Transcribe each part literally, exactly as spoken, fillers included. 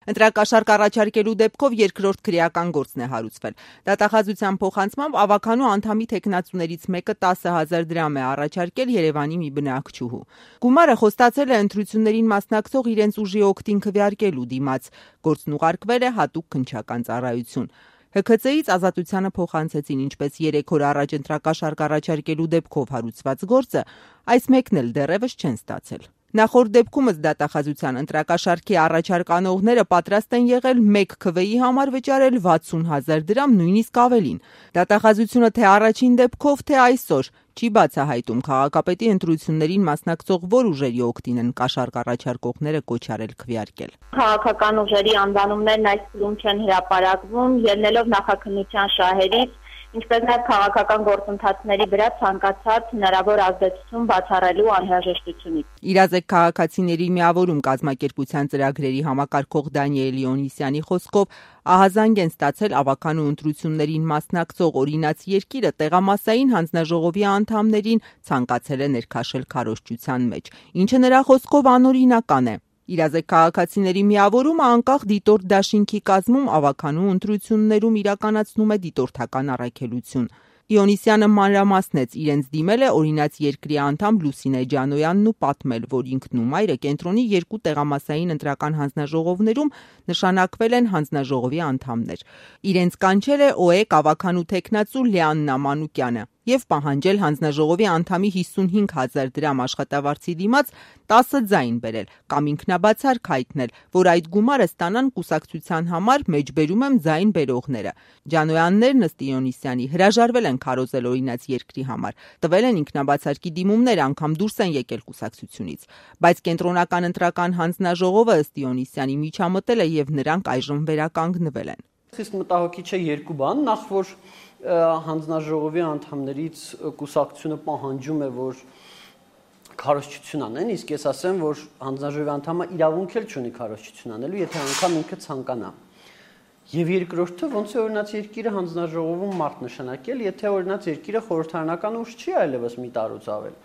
Ընտրակաշարք առաջարկելու դեպքով երկրորդ քրեական գործն է հարուցվել։ Դատախազության փոխանցմամբ ավականու անդամի թեկնածուներից մեկը տասը հազար դրամ է առաջարկել Երևանի մի բնակչուհու։ Գումարը խոստացել է ընտրություններին մասնակցող իրենց ուժի օգտին քվեարկելու դիմաց։ Գործն ուղարկվել է հատուկ քննչական ծառայություն։ Հ K C-ից Ազատությանը փոխանցեցին, ինչպես երեք օր առաջ ընտրակաշարք առաջարկելու դեպքով հարուցված գործը, այս մեկն էլ դեռևս չեն ստացել։ Նախորդ դեպքումս դատախազության ընտրակաշարքի առաջարկ անողները պատրաստ են եղել մեկ քվեի համար վճարել վաթսուն հազար դրամ, նույնիսկ ավելին։ Դատախազությունը թե առաջին դեպքով, թե այսօր չի բացահայտում քաղաքապետի ընտրություններին մասնակցող որ ուժերի օգտին են կաշառք առաջարկողները կոչ արել քվեարկել։ Քաղաքական ուժերի անվանումներն այս փուլում չեն հրապարակվում, ելնելով նախաքննության շահերից, ինչպես նաև քաղաքական գործընթացների վրա ցանկացած հնարավոր ազդեցություն բացառելու անհրաժեշտությունից։ Իրազեկ քաղաքացիների միավորում կազմակերպության ծրագրերի համակարգող Դանիել Լեոնիսյանի խոսքով ահազանգ են ստացել ավականու ընտրություններին մասնակցող օրինաց երկիրը տեղամասային հանձնաժողովի անդամներին ցանկացել է ներքաշել քարոզչության մեջ, ինչը նրա խոսքով անօրինական է։ Իրազեկ քաղաքացիների միավորումը անկախ դիտորդ դաշինքի կազմում ավականու ընտրություններում իրականացնում է դիտորդական առաքելություն։ Լեոնիսյանը մանրամասնեց, իրենց դիմել է օրինաց երկրի անդամ Լուսինե Ջանոյանն ու պատմել, որ ինքն ու մայրը կենտրոնի երկու տեղամասային ընտրական հանձնաժողովներում նշանակվել են հանձնաժողովի անդամներ։ Իրենց կանչել է Օ E K ավականու թեկնածու Լեաննա Մանուկյանը եւ պահանջել հանձնաժողովի անդամի հիսունհինգ հազար դրամ աշխատավարձի դիմաց տասը ձայն բերել կամ ինքնաբացարկ հայտնել, որ այդ գումարը ստանան կուսակցության համար, մեջբերում եմ ձայն բերողները։ Ջանոյաններն ըստ Լեոնիսյանի հրաժարվել են քարոզել օրինաց երկրի համար, տվել են ինքնաբացարկի դիմումներ, անգամ դուրս են եկել կուսակցությունից, բայց կենտրոնական ընտրական հանձնաժողովը ըստ Լեոնիսյանի միջամտել է եւ նրանք այժմ վերականգնվել են։ Խիստ մտահոգիչ է երկու բան, նախ որ հանձնաժողովի անդամներից կուսակցությունը պահանջում է, որ քարոզչություն անեն, իսկ ես ասեմ, որ հանձնաժողովի անդամը իրավունք էլ չունի քարոզչություն անելու, եթե անգամ ինքը ցանկանա։ Եվ երկրորդը, ոնց է օրինաց երկիրը հանձնաժողովում մարդ նշանակել, եթե օրինաց երկիրը խորհրդարանական ուժ չի այլևս մի տարուց ավել։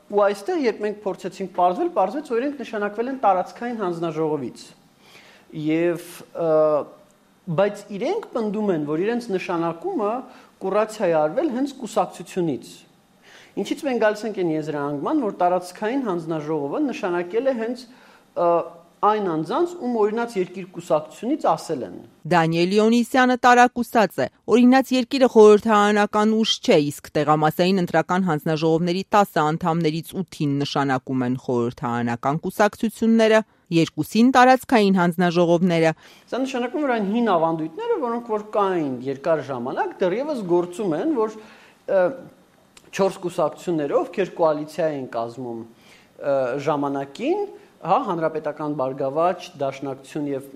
Ու այստեղ, երբ մենք փորձեցինք պարզվել, պարզվեց, որ իրենք նշանակվել են տարածքային հանձնաժողովից։ Եվ բայց իրենք պնդում են, որ իրենց նշանակումը կուրացիա է արվել հենց կուսակցությունից։ Ինչից մենք գալիս ենք այն եզրահանգման, որ տարածքային հանձնաժողովը նշանակել է հենց այն անձանց, ում օրինաց երկիր կուսակցությունից ասել են։ Դանիել Լեոնիսյանը տարակուսած է։ Օրինաց երկիրը խորհրդարանական ուժ չէ, իսկ տեղամասային ընտրական հանձնաժողովների տասը անդամներից ութին նշանակում են խորհրդարանական կուսակցությունները, երկուսին տարածքային հանձնաժողովները։ Սա նշանակում է, որ այն հին ավանդույթները, որոնք որ կային երկար ժամանակ, դեռևս գործում են, որ չորս կուսակցությունները, ովքեր կոալիցիա են կազմում ժամանակին, հա, հանրապետական բարգավաճ, դաշնակցություն եւ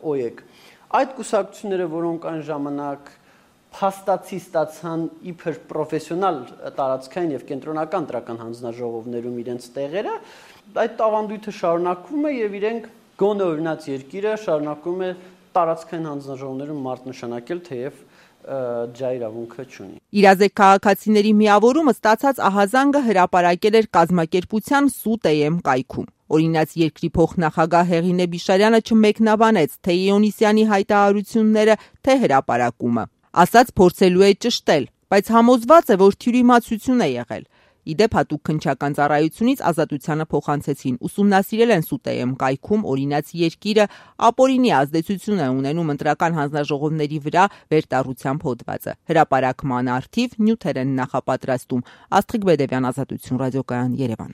Օ E K, այդ կուսակցությունները, որոնք այն ժամանակ փաստացի ստացան իբր պրոֆեսիոնալ տարածքային եւ կենտրոնական ընտրական հանձնաժողովներում իրենց տեղերը, այդ ավանդույթը շարունակվում է եւ իրենք գոնե օրինաց երկիրը շարունակում է տարածքային հանձնաժողովներում մարդ նշանակել, թեև ջա իրավունքը չունի։ Իրազեկ քաղաքացիների միավորումը ստացած ահազանգը հրապարակել էր կազմակերպության Սուտ A M կայքում։ Օրինաց երկրի փոխնախագահ Հեղինե Բիշարյանը չմեկնաբանեց թե Լեոնիսյանի հայտարարությունները, թե հրապարակումը։ Ասաց փորձելու է ճշտել, բայց համոզված է, որ թյուրիմացություն է եղել։ Իդեպ հատուկ քննչական ծառայությունից Ազատությանը փոխանցեցին, ուսումնասիրել են Սուտ A M կայքում օրինաց երկիրը ապօրինի ազդեցություն է ունենում ընտրական հանձնաժողովների վրա վերտառությամբ հոդվածը։ Հրապարակման առթիվ նյութեր են նախապատրաստում։ Աստղիկ Բեդևյան, Ազատություն, ռադիոկայան, Երևան։